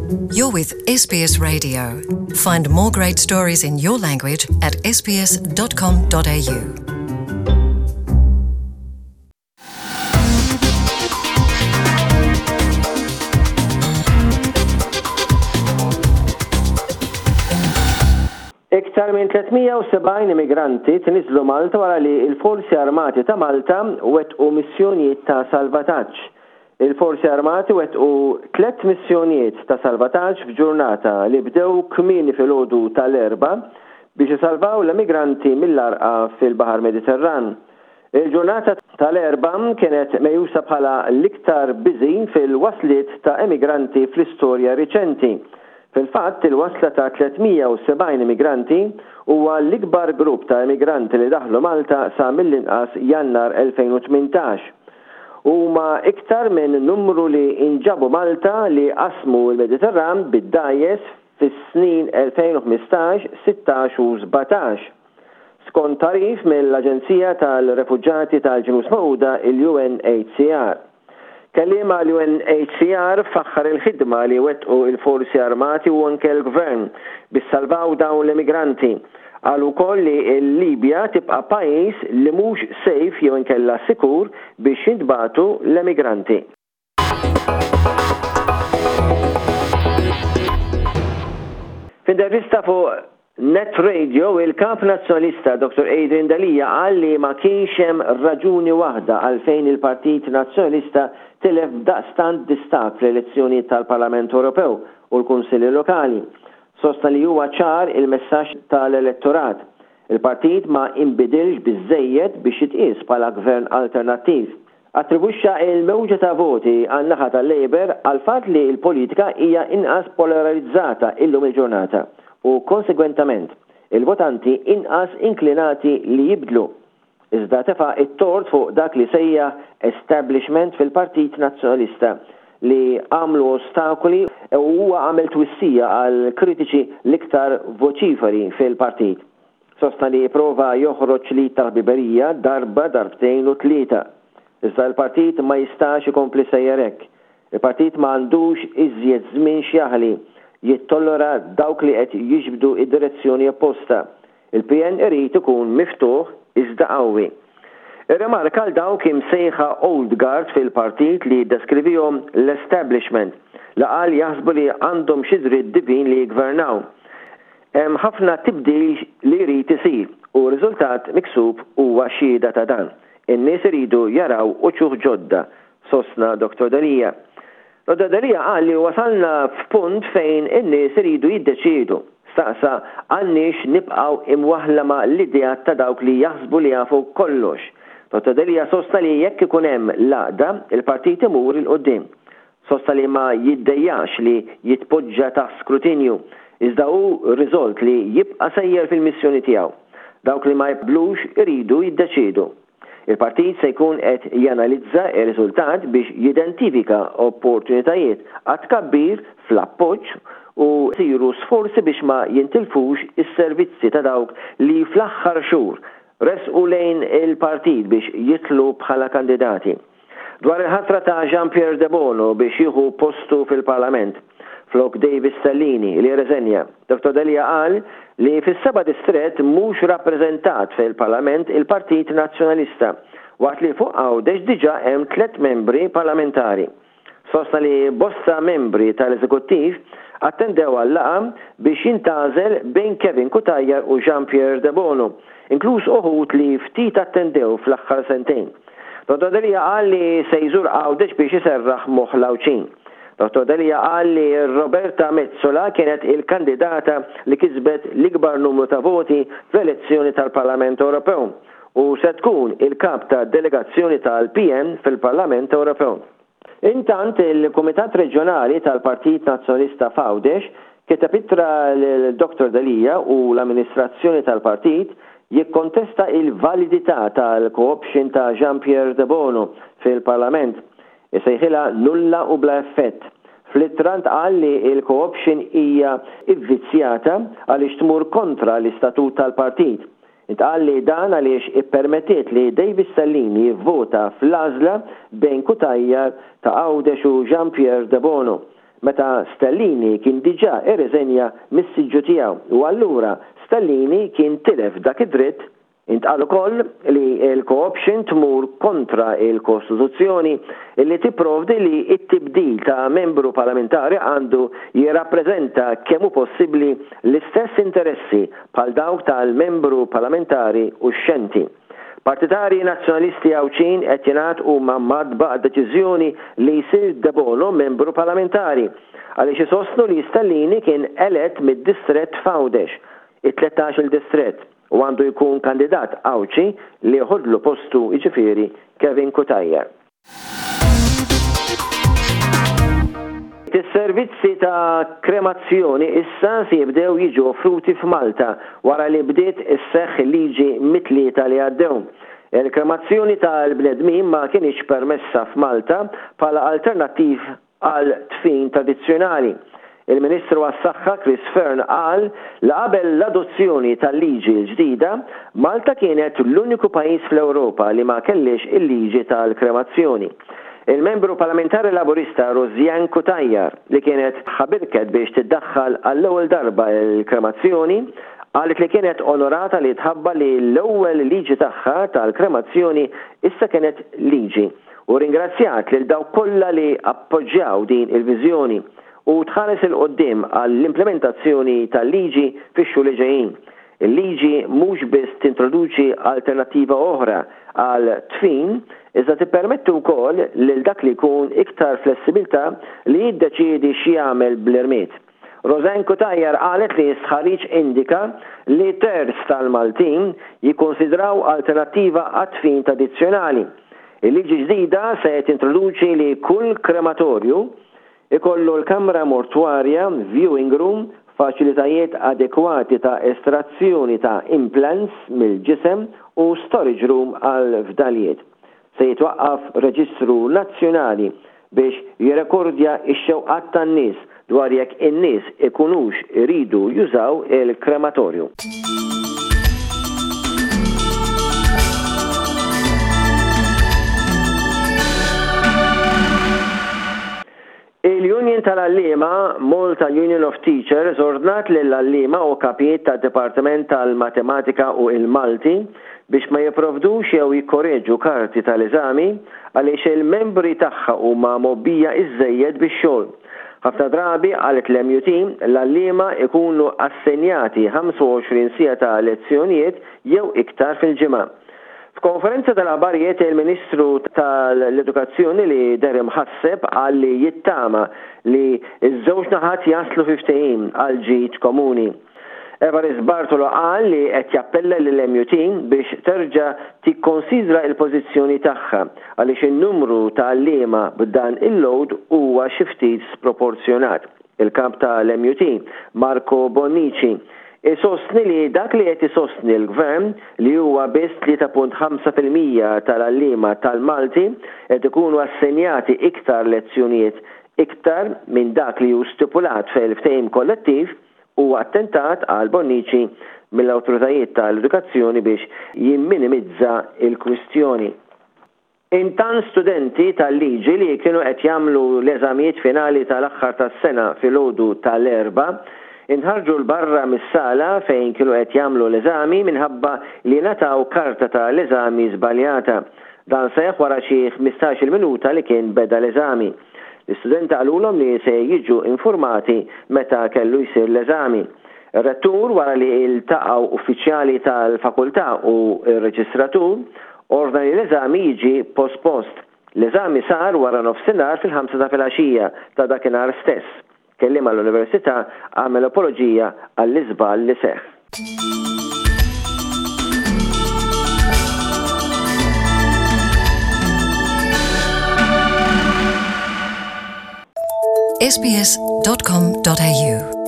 You're with SBS Radio. Find more great stories in your language at sbs.com.au. Iktar minn 370 immigranti tniżżlu Malta wara li l-Forzi Armati ta' Malta wettqu missjonijiet ta' salvataġġ. Il-Forzi Armati wettqu tlett missjonijiet ta' salvataġġ f'ġurnata li bdew kmieni filgħodu tal-Erbgħa biex isalvaw l-emigranti mill-għarqa fil-Baħar Mediterran. Il-ġurnata tal-Erbgħa kienet meqjusa bħala l-iktar busy fil-wasliet ta' emigranti fl-istorja riċenti. Fil-fatt, il-wasla ta' 370 immigranti huwa l-ikbar grupp ta' immigranti li daħlu Malta sa mill-inqas Jannar 2018. Huma iktar minn numru li inġabu Malta li qasmu l-Mediterran bid-dgħajjes fis-snin 2015, 16 u 17. Skont tagħrif mill-Aġenzija tal-Refuġjati tal-Ġnus Magħquda, il-UNHCR. Kelliem għall-UNHCR faħħar il-ħidma li wettqu l-Forzi Armati u anke l-Gvern biex salvaw dawn l-immigranti. Qal ukoll li l-Libja tibqa' pajjiż li mhux safe jew inkella sikur biex jintbagħtu l-emigranti. F'intervista fuq Net Radio, il-Kap Nazzjonalista Dottor Adrian Delia qal li ma kienx hemm raġuni waħda għalfejn il-Partit Nazzjonalista tilef b'daqstant distakk fl-elezzjonijiet tal-Parlament Ewropew u l-Kunsilli Lokali. Sostna li huwa ċar il-messaġġ tal-elettorat. Il-partit ma inbidilx biżżejjed biex jitqies bħala gvern alternattiv. Attribwixxa l-mewġa ta' voti għan-naħa tal-Labour għall-fatt li l-politika hija inqas polararizzata illum il-ġurnata u konsegwentament, il-votanti inqas inklinati li jibdlu. Iżda tefa' t-tort fuq dak li sejjaħ establishment fil-Partit Nazzjonalista li għamlu ostakoli u huwa għamel twissija għall-kritiċi l-iktar voċiferi fil-partit. Sostna li ipprova joħroġ l-id tal-ħbiberija darba, darbtejn u tlieta. Iżda l-partit ma jistax ikompli sejjer hekk. Il-partit ma għandux iżjed żmien x'jaħli, jittollera dawk li qed jiġbdu id-direzzjoni opposta. Il-PN irid ikun miftuħ iżda qawwi. Irrimarka għal dawk imsejħa old guard fil-partit li ddeskrivihom l-establishment, li qal jaħsbu li għandhom xi dritt divin li jiggvernaw. Hemm ħafna tibdil li jrid isir u r-riżultat miksub huwa xhieda ta' dan. In-nies iridu jaraw uċuħ ġodda, sostna Dottor Delia. Dottor Delia qal li wasalna f'punt fejn in-nies iridu jiddeċiedu. Staqsa għandniex nibqgħu imwaħħla ma' l-ideat ta' dawk li jaħsbu li jafu kollox. Dottor Delia sostna li jekk ikun hemm l-għaqda, il-partit imur 'il quddiem. Sostna li ma jiddejjaqx li jitpoġġa taħt skrutinju, iżda hu riżolt li jibqa' sejjer fil-missjoni tiegħu. Dawk li ma jqblux iridu jiddeċiedu. Il-partit se jkun qed janalizza r-riżultat biex jidentifika opportunitajiet għat-tkabbir fl-appoġġ u jsiru sforzi biex ma jintilfux is-servizzi ta' dawk li fl-aħħar xhur resqu lejn il-partit biex jidħlu bħala kandidati. Dwar il-ħatra ta' Jean Pierre Debono biex jieħu postu fil-Parlament, flok David Stellini li rreżenja, Dottor Delia qal li fis-seba' distrett mhux rappreżentat fil-Parlament il-Partit Nazzjonalista, waqt li fuq Għawdex diġà hemm tlett membri parlamentari. Sostna li bosta membri tal-Eżekuttiv attendew għal-laqgħa biex jintgħażel bejn Kevin Cutajar u Jean Pierre Debono, inkluż uħud li ftit attendew fl-aħħar sentejn. Dottor Delia qal li se jżur Għawdex biex iserraħ moħħ l-Għawdxin. Dottor Delia qal li Roberta Metsola kienet il-kandidata li kisbet l-ikbar numru ta' voti fl-elezzjoni tal-Parlament Ewropew u se tkun il-kap ta' delegazzjoni tal-PN fil-Parlament Ewropew. Intant, il-Kumitat Reġjonali tal-Partit Nazzjonalista f'Għawdex kiteb ittra lil Dottor Delia u l-amministrazzjoni tal-partit jikkontesta il-validità tal-co-option ta' Jean Pierre Debono fil-Parlament. Isejħilha nulla u bla effett. Fl-ittra ntqal li l-co-option hija vvizzjata għaliex tmur kontra l-istatut tal-partit. Intqal li dan għaliex ippermettiet li David Stellini jivvota fl-għażla bejn Cutajar ta' Għawdex u Jean Pierre Debono. meta Stellini kien diġà irriżenja mis-siġġu tiegħu u allura Stellini kien tilef dak id-dritt Intqal ukoll li l-co-option tmur kontra l-Kostituzzjoni li tipprovdi li t-tibdil ta' membru parlamentari għandu jirrappreżenta kemm hu possibbli l-istess interessi bħal dawk tal-membru parlamentari uxxenti. Partitarji Nazzjonalisti Għawdxin qed jingħad huma mgħaddba għad-deċiżjoni li jsir Debono membru parlamentari għaliex isostnu li Stellini kien elett mid-distrett f'Għawdex, it-tlettax-il distrett. u għandu jkun kandidat Għawdxi li jeħodlu postu jiġifieri Kevin Cutajar. Is-servizzi ta' kremazzjoni issa se jibdew jiġu offruti f'Malta wara li bdiet isseħħ il-liġi mit-Tlieta li għaddew. Il-kremazzjoni tal-bnedmin ma kinitx permessa f'Malta bħala alternattiv għal dfin tradizzjonali. Il-Ministru għas-Saħħa Chris Fearne qal li qabel l-adozzjoni tal-liġi l-ġdida, Malta kienet l-uniku pajjiż fl-Ewropa li ma kellhiex il-liġi tal-kremazzjoni. Il-Membru Parlamentari Laburista Rosianne Cutajar, li kienet ħabirket biex tiddaħħal għall-ewwel darba l-kremazzjoni, qalet li kienet onorata li tħabbar li l-ewwel liġi tagħha tal-kremazzjoni issa kienet liġi. u rringrazzjat lil dawk kollha li appoġġjaw din il-viżjoni u tħares 'il quddiem għall-implimentazzjoni tal-liġi fix-xhur li ġejjin. Il-liġi mhux biss tintroduċi alternattiva oħra għal dfin iżda tippermetti wkoll lil dak li jkun iktar flessibilità li jiddeċiedi x'jagħmel bl-irmied. Rosanne Cutajar qalet li stħarriġ indika li terz tal-Maltin jikkunsidraw alternattiva għad-dfin tradizzjonali. Il-liġi ġdida se tintroduċi li kull krematorju ikollu l-kamra mortwarja, viewing room, faċilitajiet adekwati ta' estrazzjoni ta' implants mill-ġisem u storage room għall-fdalijiet. Se jitwaqqaf reġistru nazzjonali biex jirrekordja x-xewqat tan-nies dwar jekk in-nies ikunux iridu jużaw il-krematorju. Il-Union tal-Għalliema, Malta Union of Teachers, ordnat lill-għalliema u kapijiet tad-Dipartiment tal-Matematika u il-Malti biex ma jipprovdux jew jikkoreġu karti tal-eżami għaliex il-membri tagħha huma mgħobbija iżżejjed bix-xogħol. Ħafna drabi, qalet l-MUT, l-għalliema ikunu assenjati 25 siegħa ta' lezzjonijiet jew iktar fil-ġimgħa. F'konferenza tal-aħbarijiet il-Ministru tal-Edukazzjoni li deher imħasseb qal li jittama li ż-żewġ naħat jaslu fi ftehim għall-ġid komuni. Evarist Bartolo qal li qed jappella lill-MUT biex terġa' tikkonsidra l-pożizzjoni tagħha għaliex in-numru ta' għalliema b'dan il-load huwa xi ftit sproporzjonat. Il-Kap tal-MUT, Marco Bonnici, isostni li dak li qed isostni l-Gvern, li huwa biss 3.5% tal-għalliema tal-Malti qed ikunu assenjati iktar lezzjonijiet iktar minn dak li hu stipulat fil-ftehim kollettiv, huwa attentat, qal Bonnici, mill-awtoritajiet tal-edukazzjoni biex jimminimizza l-kwistjoni. Intant studenti tal-liġi li kienu qed jagħmlu l-eżamijiet finali tal-aħħar tas-sena filgħodu tal-Erbgħa inħarġu 'l barra mis-sala fejn kienu qed jagħmlu l-eżami minħabba li ngħataw karta ta' l-eżami żbaljata. Dan seħħ wara xi 15-il minuta li kien beda l-eżami. L-istudenti qalulhom li se jiġu infurmati meta kellu jsir l-eżami. Ir-Rettur, wara li ltaqgħu uffiċjali tal-fakultà u r-reġistratur, ordna li l-eżami jiġi pospost. L-eżami sar wara nofsinhar fil-ħamsa ta' filgħaxija ta' dakinhar stess. Kelliem għall-Università għamel apoloġija għall-iżball li seħħ. sbs.com.au.